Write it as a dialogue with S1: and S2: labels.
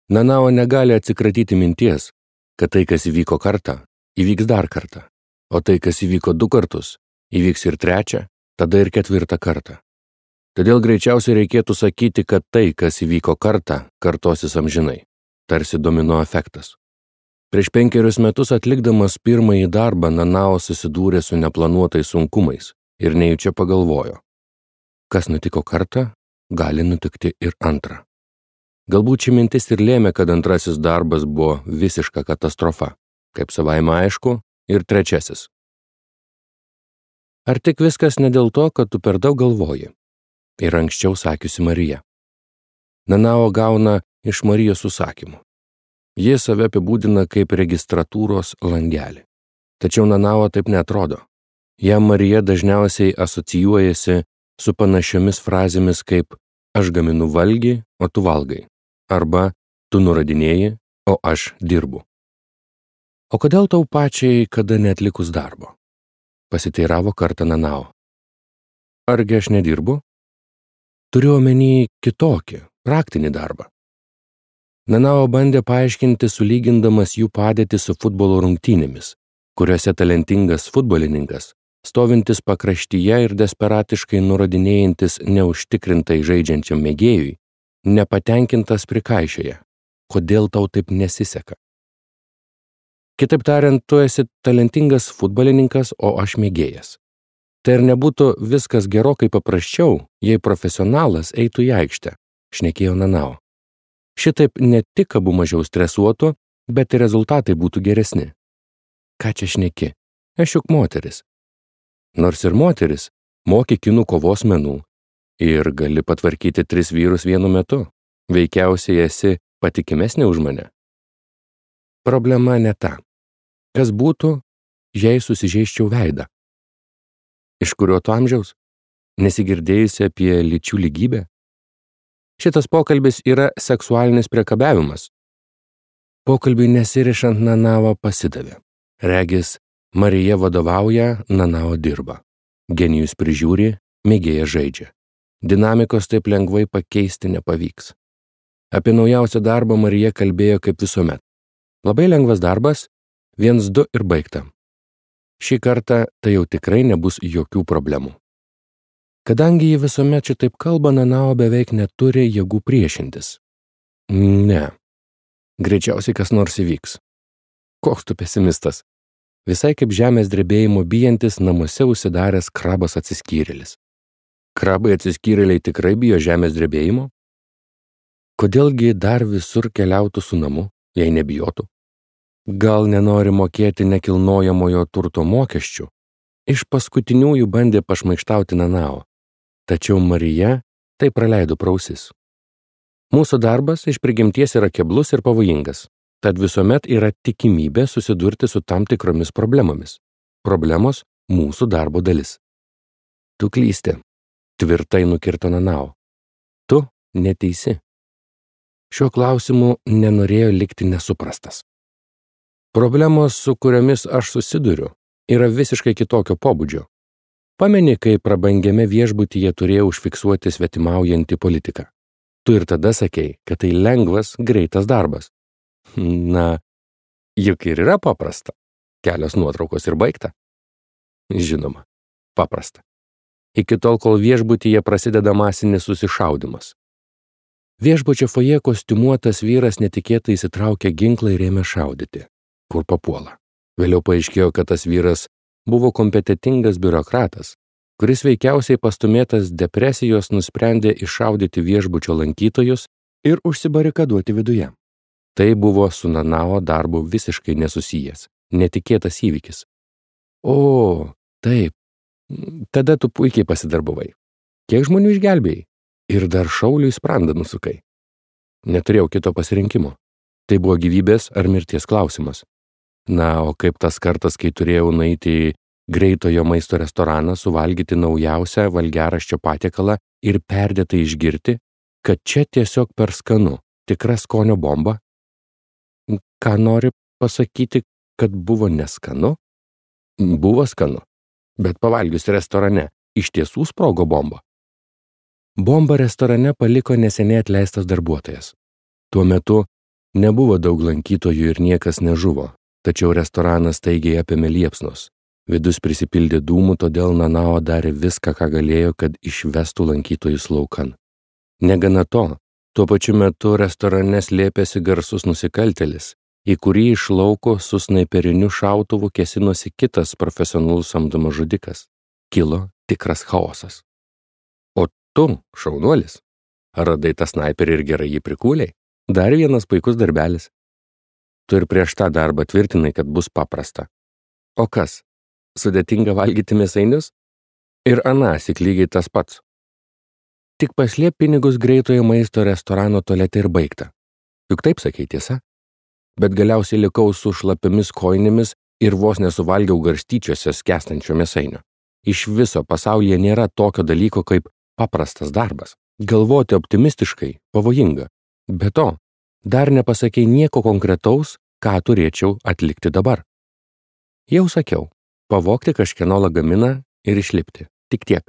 S1: Nanao negali atsikratyti minties, kad tai, kas įvyko kartą, įvyks dar kartą, o tai, kas įvyko 2 kartus, įvyks ir 3, tada ir 4 kartą. Todėl greičiausiai reikėtų sakyti, kad tai, kas įvyko kartą, kartosis amžinai, tarsi domino efektas. Prieš 5 metus atlikdamas pirmąjį darbą Nanao susidūrė su neplanuotais sunkumais ir nejučia pagalvojo. Kas nutiko kartą, gali nutikti ir antrą. Galbūt ši mintis ir lėmė, kad antrasis darbas buvo visiška katastrofa, kaip savaime aišku, ir 3. Ar tik viskas ne dėl to, kad tu per daug galvoji? Ir anksčiau sakiusi Marija. Nanao gauna iš Marijos užsakymų. Ji save apibūdina kaip registratūros langelį. Tačiau Nanao taip neatrodo. Jam Marija dažniausiai asocijuojasi su panašiomis frazėmis kaip aš gaminu valgį, o tu valgai, arba tu nuradinėji, o aš dirbu. O kodėl tau pačiai kada neatlikus darbo? Pasiteiravo kartą Nanao. Argi aš nedirbu? Turiu omeny kitokį, praktinį darbą. Nanao bandė paaiškinti, sulygindamas jų padėtį su futbolo rungtynėmis, kuriuose talentingas futbolininkas, stovintis pakraštyje ir desperatiškai nurodinėjantis neužtikrintai žaidžiančiam mėgėjui, nepatenkintas prikaišioja, kodėl tau taip nesiseka. Kitaip tariant, tu esi talentingas futbolininkas, o aš mėgėjas. Tai ar nebūtų viskas gerokai paprasčiau, jei profesionalas eitų į aikštę, šnekėjo Nanao. Šitaip ne tik abu mažiau stresuotų, bet ir rezultatai būtų geresni. Ką čia šneki? Aš juk moteris. Nors ir moteris, moki kinų kovos menų ir gali patvarkyti 3 vyrus vienu metu. Veikiausiai esi patikimesnė už mane. Problema ne ta. Kas būtų, jei susižeisčiau veidą? Iš kurio tu amžiaus? Nesigirdėjusi apie lyčių lygybę? Šitas pokalbis yra seksualinis priekabiavimas. Pokalbiui nesirišant Nanao pasidavė. Regis, Marija vadovauja, Nanao dirba. Genijus prižiūri, mėgėjas žaidžia. Dinamikos taip lengvai pakeisti nepavyks. Apie naujausią darbą Marija kalbėjo kaip visuomet. Labai lengvas darbas, 1, 2 ir baigta. Šį kartą tai jau tikrai nebus jokių problemų. Kadangi ji visuomet šitaip kalba, Nanao beveik neturi jėgų priešintis. Ne. Greičiausiai kas nors įvyks. Koks tu pesimistas? Visai kaip žemės drebėjimo bijantis namuose užsidaręs krabas atsiskyrėlis. Krabai atsiskyrėliai tikrai bijo žemės drebėjimo? Kodėlgi dar visur keliautų su namu, jei nebijotų? Gal nenori mokėti nekilnojamojo turto mokesčių? Iš paskutiniųjų bandė pašmaikštauti Nanao, tačiau Marija tai praleido pro ausis. Mūsų darbas iš prigimties yra keblus ir pavojingas, tad visuomet yra tikimybė susidurti su tam tikromis problemomis. Problemos mūsų darbo dalis. Tu klysti, tvirtai nukirto Nanao. Tu neteisi. Šiuo klausimu nenorėjo likti nesuprastas. Problemos, su kuriomis aš susiduriu, yra visiškai kitokio pobūdžio. Pameni, kai prabangiame viešbutyje turėjau užfiksuoti svetimaujantį politiką. Tu ir tada sakei, kad tai lengvas, greitas darbas. Na, juk ir yra paprasta. Kelios nuotraukos ir baigta. Žinoma, paprasta. Iki tol, kol viešbutyje prasideda masinis susišaudimas. Viešbučio fojė kostiumuotas vyras netikėtai įsitraukė ginklą ir ėmė šaudyti. Kur papuola. Vėliau paaiškėjo, kad tas vyras buvo kompetentingas biurokratas, kuris veikiausiai pastumėtas depresijos nusprendė iššaudyti viešbučio lankytojus ir užsibarikaduoti viduje. Tai buvo su Nanao darbu visiškai nesusijęs, netikėtas įvykis. O, taip, tada tu puikiai pasidarbavai. Kiek žmonių išgelbėjai? Ir dar šauliui sprandą nusukai. Neturėjau kito pasirinkimo. Tai buvo gyvybės ar mirties klausimas. Na, o kaip tas kartas, kai turėjau nueiti į greitojo maisto restoraną, suvalgyti naujausią valgiaraščio patiekalą ir perdėtai išgirti, kad čia tiesiog per skanu, tikra skonio bomba? Ką nori pasakyti, kad buvo neskanu? Buvo skanu, bet pavalgius restorane iš tiesų sprogo bomba. Bombą restorane paliko neseniai atleistas darbuotojas. Tuo metu Nebuvo daug lankytojų ir niekas nežuvo, tačiau restoranas staigiai apėmė liepsnos. Vidus prisipildė dūmų, todėl Nanao darė viską, ką galėjo, kad išvestų lankytojus laukan. Negana to, tuo pačiu metu restorane slėpėsi garsus nusikaltėlis, į kurį iš lauko su snaiperiniu šautuvu kėsinosi kitas profesionalus samdomas žudikas. Kilo tikras chaosas. O tu, šaunuolis, radai tą snaiperį ir gerai jį prikūlei? Dar vienas puikus darbelis. Tu ir prieš tą darbą tvirtinai, kad bus paprasta. O kas? Sudėtinga valgyti mėsainius? Ir anąsyk lygiai tas pats. Tik paslėp pinigus greitojo maisto restorano tualete ir baigta. Juk taip sakei, tiesa? Bet galiausiai likau su šlapiamis kojinėmis ir vos nesuvalgiau garstyčiose skęstančio mėsainio. Iš viso pasaulyje nėra tokio dalyko kaip paprastas darbas. Galvoti optimistiškai pavojinga. Be to, dar nepasakei nieko konkretaus, ką turėčiau atlikti dabar. Jau sakiau, pavogti kažkieno lagaminą ir išlipti. Tik tiek.